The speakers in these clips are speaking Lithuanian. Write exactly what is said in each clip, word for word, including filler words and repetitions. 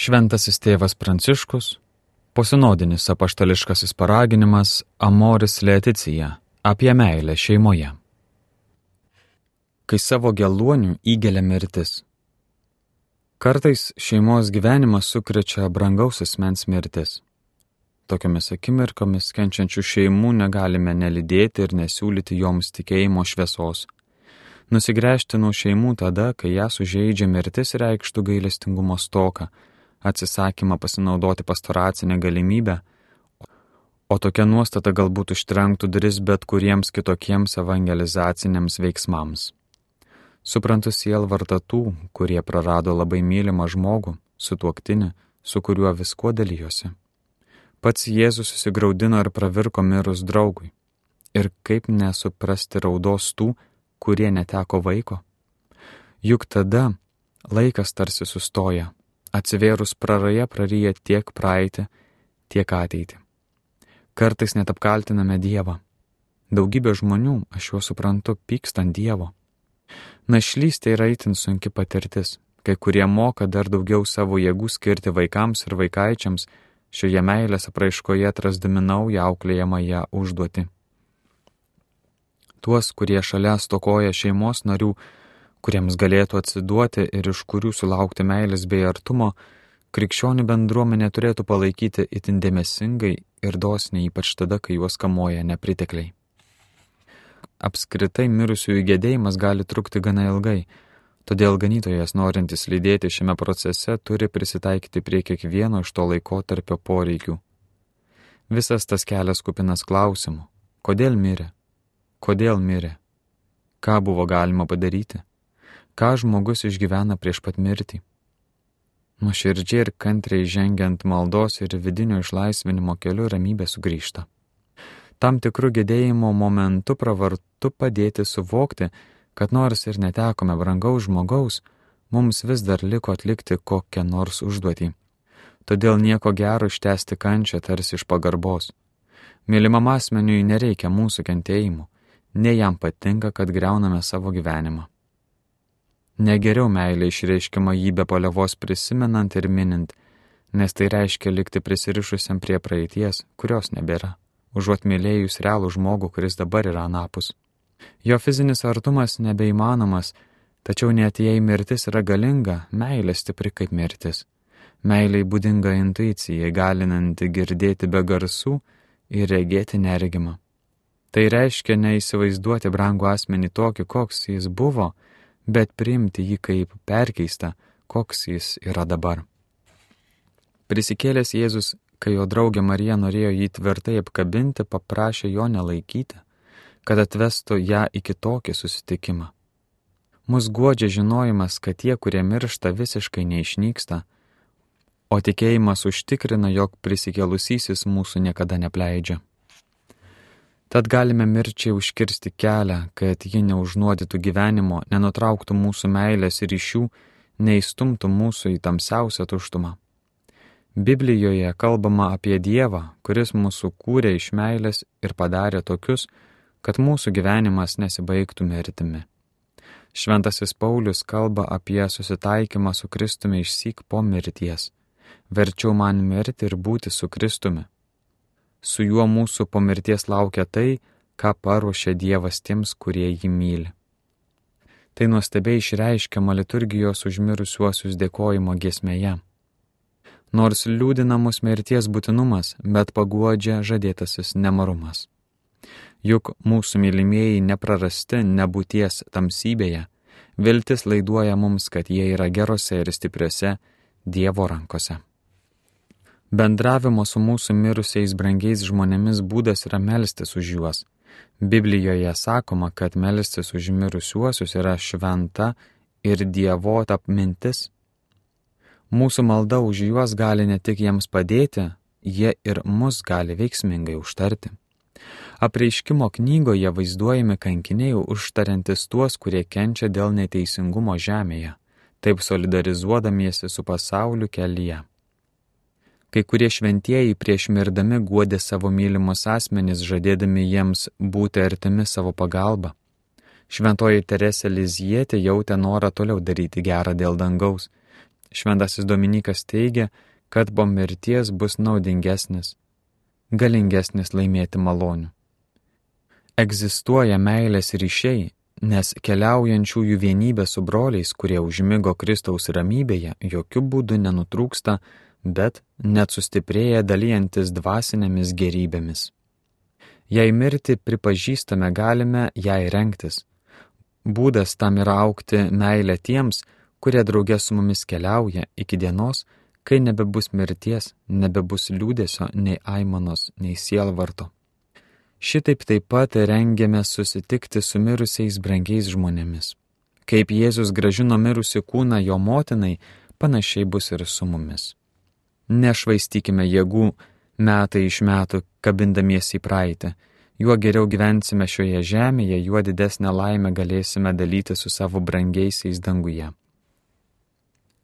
Šventasis tėvas Pranciškus, posinodinis apaštališkasis paraginimas Amoris Laetitia apie meilę šeimoje. Kai savo geluonių įgelia mirtis. Kartais šeimos gyvenimą sukrečia brangaus asmens mirtis. Tokiomis akimirkomis kenčiančių šeimų negalime nelydėti ir nesiūlyti joms tikėjimo šviesos. Nusigręžti nuo šeimų tada, kai ją sužeidžia mirtis, reikštų gailestingumo stoką, atsisakymą pasinaudoti pastoracinę galimybę, o tokia nuostata galbūt užtrenktų duris bet kuriems kitokiems evangelizaciniams veiksmams. Suprantu sielvartą tų, kurie prarado labai mylimą žmogų, sutuoktinį, su kuriuo viskuo dalijosi. Pats Jėzus susigraudino ir pravirko mirus draugui. Ir kaip nesuprasti raudos tų, kurie neteko vaiko? Juk tada laikas tarsi sustoja, atsivėrus praraja praryja tiek praeitį, tiek ateitį. Kartais net apkaltiname Dievą. Daugybė žmonių, aš juos suprantu, pyksta ant Dievo. Našlystė yra itin sunki patirtis, kai kurie moka dar daugiau savo jėgų skirti vaikams ir vaikaičiams, šioje meilės apraiškoje atrasdami naują auklėjamąją užduotį. Tuos, kurie šalia stokoja šeimos narių, kuriems galėtų atsiduoti ir iš kurių sulaukti meilės bei artumo, krikščionių bendruomenė turėtų palaikyti itin dėmesingai ir dosniai, ypač tada, kai juos kamuoja nepritekliai. Apskritai mirusiųjų gedėjimas gali trukti gana ilgai, todėl ganytojas, norintis lydėti šiame procese, turi prisitaikyti prie kiekvieno iš to laikotarpio poreikių. Visas tas kelias kupinas klausimų. Kodėl mirė? Kodėl mirė? Ką buvo galima padaryti? Ką žmogus išgyvena prieš pat mirtį? Nuoširdžiai ir kantriai žengiant maldos ir vidinio išlaisvinimo keliu ramybė sugrįžta. Tam tikrų gedėjimo momentu pravartu padėti suvokti, kad nors ir netekome brangaus žmogaus, mums vis dar liko atlikti kokią nors užduotį. Todėl nieko gero ištęsti kančią tarsi iš pagarbos. Mylimam asmeniui nereikia mūsų kentėjimų, nei jam patinka, kad griauname savo gyvenimą. Negeriau meilė išreiškiama jį be paliovos prisimenant ir minint, nes tai reiškia likti prisirišusiam prie praeities, kurios nebėra, užuot mylėjus realų žmogų, kuris dabar yra anapus. Jo fizinis artumas nebeįmanomas, tačiau net jei mirtis yra galinga, meilė stipri kaip mirtis. Meilei būdinga intuicija, galinanti girdėti be garsų ir regėti neregimą. Tai reiškia neįsivaizduoti brangų asmenį tokį, koks jis buvo, bet priimti jį kaip perkeistą, koks jis yra dabar. Prisikėlęs Jėzus, kai jo draugė Marija norėjo jį tvirtai apkabinti, paprašė jo nelaikyti, kad atvestų ją į kitokį susitikimą. Mus guodžia žinojimas, kad tie, kurie miršta, visiškai neišnyksta, o tikėjimas užtikrina, jog prisikėlusysis mūsų niekada nepleidžia. Tad galime mirčiai užkirsti kelią, kad ji neužnuodytų gyvenimo, nenutrauktų mūsų meilės ryšių, neįstumtų mūsų į tamsiausią tuštumą. Biblijoje kalbama apie Dievą, kuris mūsų kūrė iš meilės ir padarė tokius, kad mūsų gyvenimas nesibaigtų mirtimi. Šventasis Paulius kalba apie susitaikymą su Kristumi išsyk po mirties. Verčiau man mirti ir būti su Kristumi. Su juo mūsų po mirties laukia tai, ką paruošė Dievas tiems, kurie jį myli. Tai nuostabiai išreiškiama liturgijos už mirusiuosius dėkojimo giesmėje. Nors liūdina mus mirties būtinumas, bet paguodžia žadėtasis nemarumas. Juk mūsų mylimieji neprarasti nebūties tamsybėje, viltis laiduoja mums, kad jie yra gerose ir stipriose Dievo rankose. Bendravimo su mūsų mirusiais brangiais žmonėmis būdas yra melstis už juos. Biblijoje sakoma, kad melstis už mirusiuosius yra šventa ir dievota mintis. Mūsų malda už juos gali ne tik jiems padėti, jie ir mus gali veiksmingai užtarti. Apreiškimo knygoje vaizduojami kankiniai užtariantis tuos, kurie kenčia dėl neteisingumo žemėje, taip solidarizuodamiesi su pasauliu kelyje. Kai kurie šventieji prieš mirdami guodė savo mylimus asmenis, žadėdami jiems būti artimi savo pagalba. Šventoji Teresė Lizietė jautė norą toliau daryti gerą dėl dangaus. Šventasis Dominikas teigia, kad po mirties bus naudingesnis, galingesnis laimėti malonių. Egzistuoja meilės ryšiai, nes keliaujančiųjų vienybė su broliais, kurie užmigo Kristaus ramybėje, jokių būdų nenutrūksta, bet net sustiprėja dalyjantis dvasinėmis gerybėmis. Jei mirtį pripažįstame, galime jai rengtis. Būdas tam yra augti meilę tiems, kurie drauge su mumis keliauja iki dienos, kai nebebus mirties, nebebus liūdesio, nei aimanos, nei sielvarto. Šitaip taip pat rengiame susitikti su mirusiais brangiais žmonėmis. Kaip Jėzus grąžino mirusi kūną jo motinai, panašiai bus ir su mumis. Nešvaistykime jėgų metai iš metų, kabindamiesi į praeitį. Juo geriau gyvensime šioje žemėje, juo didesnę laimę galėsime dalyti su savo brangiaisiais danguje.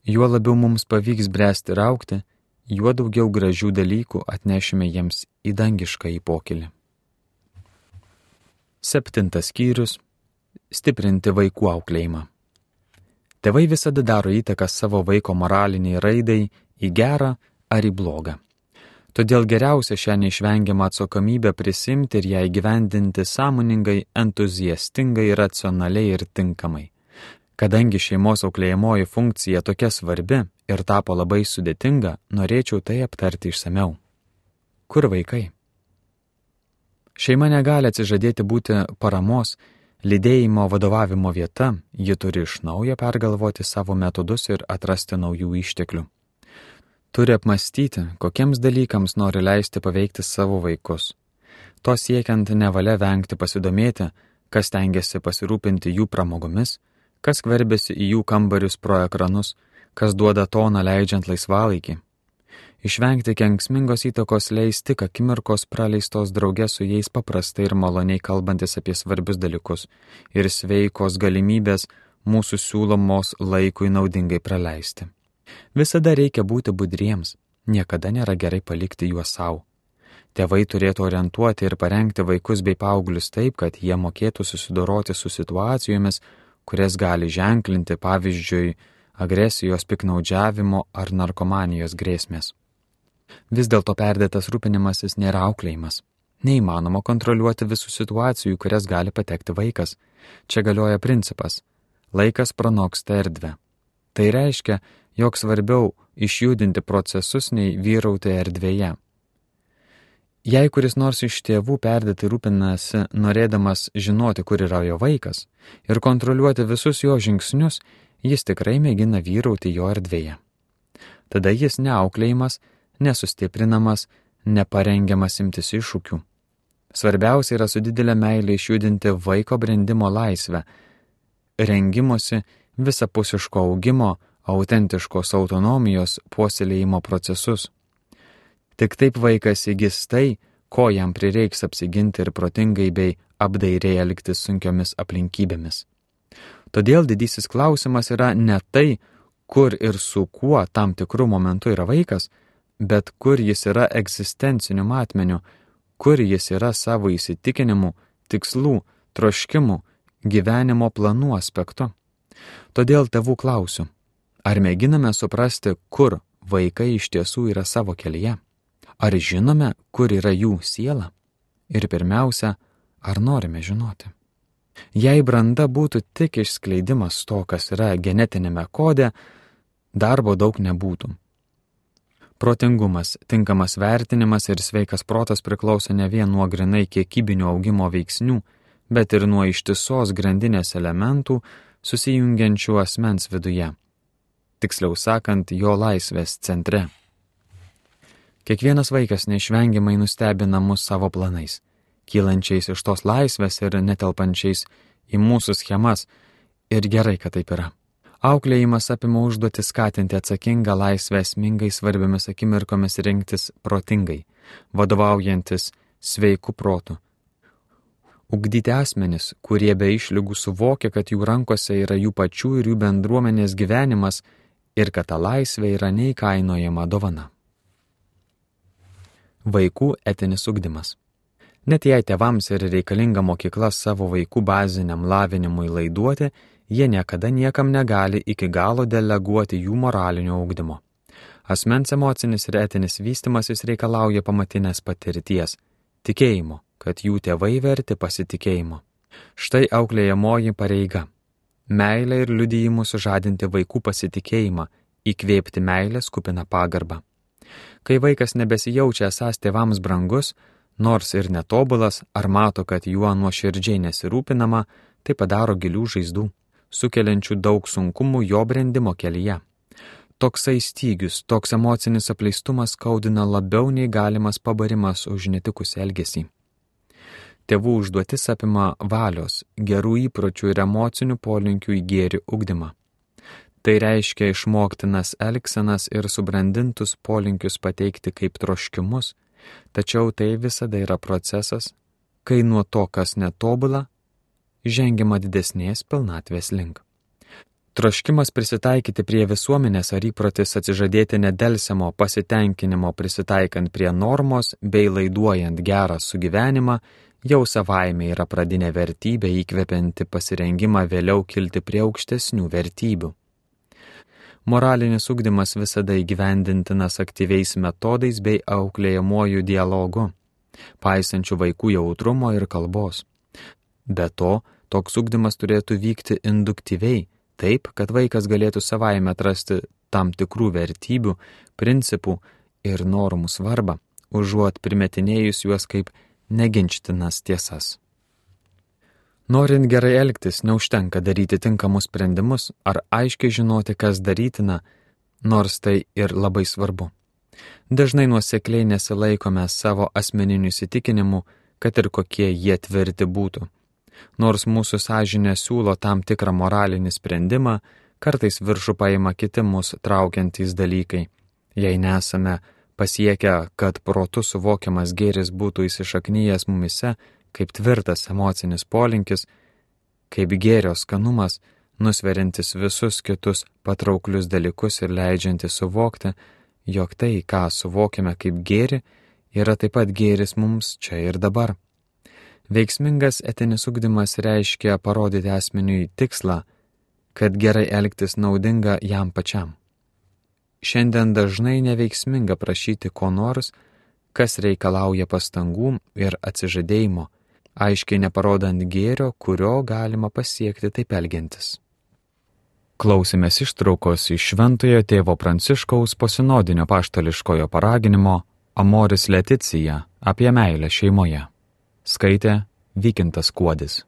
Juo labiau mums pavyks bręsti ir augti, juo daugiau gražių dalykų atnešime jiems į dangiškąjį pokylį. Septintas skyrius – stiprinti vaikų auklėjimą. Tėvai visada daro įtaką savo vaiko moraliniai raidai į gerą ar į blogą. Todėl geriausia šią neišvengiamą atsakomybę prisimti ir ją įgyvendinti sąmoningai, entuziastingai, racionaliai ir tinkamai. Kadangi šeimos auklėjamoji funkcija tokia svarbi ir tapo labai sudėtinga, norėčiau tai aptarti išsamiau. Kur vaikai? Šeima negali atsižadėti būti paramos, lydėjimo vadovavimo vieta, ji turi iš naujo pergalvoti savo metodus ir atrasti naujų išteklių. Turi apmastyti, kokiems dalykams nori leisti paveikti savo vaikus. To siekiant nevalia vengti pasidomėti, kas tengiasi pasirūpinti jų pramogomis, kas skverbiasi į jų kambarius pro ekranus, kas duoda toną leidžiant laisvalaikį. Išvengti kenksmingos įtakos leis tik akimirkos praleistos drauge su jais paprastai ir maloniai kalbantis apie svarbius dalykus ir sveikos galimybės mūsų siūlomos laikui naudingai praleisti. Visada reikia būti budriems, niekada nėra gerai palikti juos savo. Tėvai turėtų orientuoti ir parengti vaikus bei paauglius taip, kad jie mokėtų susidoroti su situacijomis, kurias gali ženklinti, pavyzdžiui, agresijos, piknaudžiavimo ar narkomanijos grėsmės. Vis dėlto perdėtas rūpinimasis nėra auklėjimas. Neįmanoma kontroliuoti visų situacijų, kurias gali patekti vaikas. Čia galioja principas – laikas pranoksta erdvę. Tai reiškia, jog svarbiau išjudinti procesus nei vyrauti erdvėje. Jei kuris nors iš tėvų perdėtai rūpinasi, norėdamas žinoti, kur yra jo vaikas, ir kontroliuoti visus jo žingsnius, jis tikrai mėgina vyrauti jo erdvėje. Tada jis neauklėjimas, nesustiprinamas, neparengiamas imtis iššūkių. Svarbiausia yra su didelė meilė išjudinti vaiko brendimo laisvę, rengimosi, visapusiško augimo, autentiškos autonomijos, puoselėjimo procesus. Tik taip vaikas įgis tai, ko jam prireiks apsiginti ir protingai bei apdairiai elgtis sunkiomis aplinkybėmis. Todėl didysis klausimas yra ne tai, kur ir su kuo tam tikrų momentų yra vaikas, bet kur jis yra egzistenciniu matmeniu, kur jis yra savo įsitikinimų, tikslų, troškimų, gyvenimo planų aspektu. Todėl tėvų klausiu, ar mėginame suprasti, kur vaikai iš tiesų yra savo kelyje? Ar žinome, kur yra jų siela? Ir pirmiausia, ar norime žinoti? Jei branda būtų tik išskleidimas to, kas yra genetinėme kode, darbo daug nebūtų. Protingumas, tinkamas vertinimas ir sveikas protas priklauso ne vien nuo grinai kiekybinio augimo veiksnių, bet ir nuo ištisos grandinės elementų susijungiančių asmens viduje. Tiksliau sakant, jo laisvės centre. Kiekvienas vaikas neišvengiamai nustebina mus savo planais, kylančiais iš tos laisvės ir netelpančiais į mūsų schemas, ir gerai, kad taip yra. Auklėjimas apima užduoti skatinti atsakingą laisvę esmingai svarbiomis akimirkomis rinktis protingai, vadovaujantis sveiku protu. Ugdyti asmenis, kurie be išlygų suvokia, kad jų rankose yra jų pačių ir jų bendruomenės gyvenimas ir kad ta laisvė yra neįkainojama dovana. Vaikų etinis ugdymas. Net jei tėvams ir reikalinga mokykla savo vaikų baziniam lavinimui laiduoti, jie niekada niekam negali iki galo deleguoti jų moralinio ugdymo. Asmens emocinis ir etinis vystimasis reikalauja pamatinės patirties, tikėjimo, kad jų tėvai verti pasitikėjimo. Štai auklėjamoji pareiga. Meilę ir liudijimu sužadinti vaikų pasitikėjimą, įkvėpti meilės kupiną pagarbą. Kai vaikas nebesijaučia esąs tėvams brangus, nors ir netobulas, ar mato, kad juo nuoširdžiai nesirūpinama, tai padaro gilių žaizdų, sukeliančių daug sunkumų jo brendimo kelyje. Toksai stygius, toks emocinis apleistumas skaudina labiau nei galimas pabarimas už netikusį elgesį. Tėvų užduotis apima valios, gerų įpročių ir emocinių polinkių į gėrį ugdymą. Tai reiškia išmoktinas elgsenas ir subrandintus polinkius pateikti kaip troškimus, tačiau tai visada yra procesas, kai nuo to, kas netobula, žengiama didesnės pilnatvės link. Troškimas prisitaikyti prie visuomenės ar įprotis atsižadėti nedelsiamo pasitenkinimo prisitaikant prie normos bei laiduojant gerą sugyvenimą jau savaime yra pradinė vertybė įkvepianti pasirengimą vėliau kilti prie aukštesnių vertybių. Moralinis ugdymas visada įgyvendintinas aktyviais metodais bei auklėjamuoju dialogu, paisančių vaikų jautrumo ir kalbos. Be to, toks ugdymas turėtų vykti induktyviai, taip, kad vaikas galėtų savaime atrasti tam tikrų vertybių, principų ir normų svarbą, užuot primetinėjus juos kaip neginčytinas tiesas. Norint gerai elgtis, neužtenka daryti tinkamus sprendimus ar aiškiai žinoti, kas darytina, nors tai ir labai svarbu. Dažnai nuosekliai nesilaikome savo asmeninių įsitikinimų, kad ir kokie jie tvirti būtų. Nors mūsų sąžinė siūlo tam tikrą moralinį sprendimą, kartais viršų paima kiti mūsų traukiantys dalykai. Jei nesame pasiekę, kad protu suvokiamas gėris būtų įsišaknyjęs mumise, kaip tvirtas emocinis polinkis, kaip gėrio skanumas, nusveriantis visus kitus patrauklius dalykus ir leidžiantis suvokti, jog tai, ką suvokiame kaip gėrį, yra taip pat gėris mums čia ir dabar. Veiksmingas etinis ugdymas reiškia parodyti asmeniui tikslą, kad gerai elgtis naudinga jam pačiam. Šiandien dažnai neveiksminga prašyti ko nors, kas reikalauja pastangų ir atsižadėjimo, aiškiai neparodant gėrio, kurio galima pasiekti taip elgiantis. Klausėmės ištraukos iš Šventojo tėvo Pranciškaus posinodinio apaštališkojo paraginimo Amoris Laetitia apie meilę šeimoje. Skaitė Vykintas Kuodis.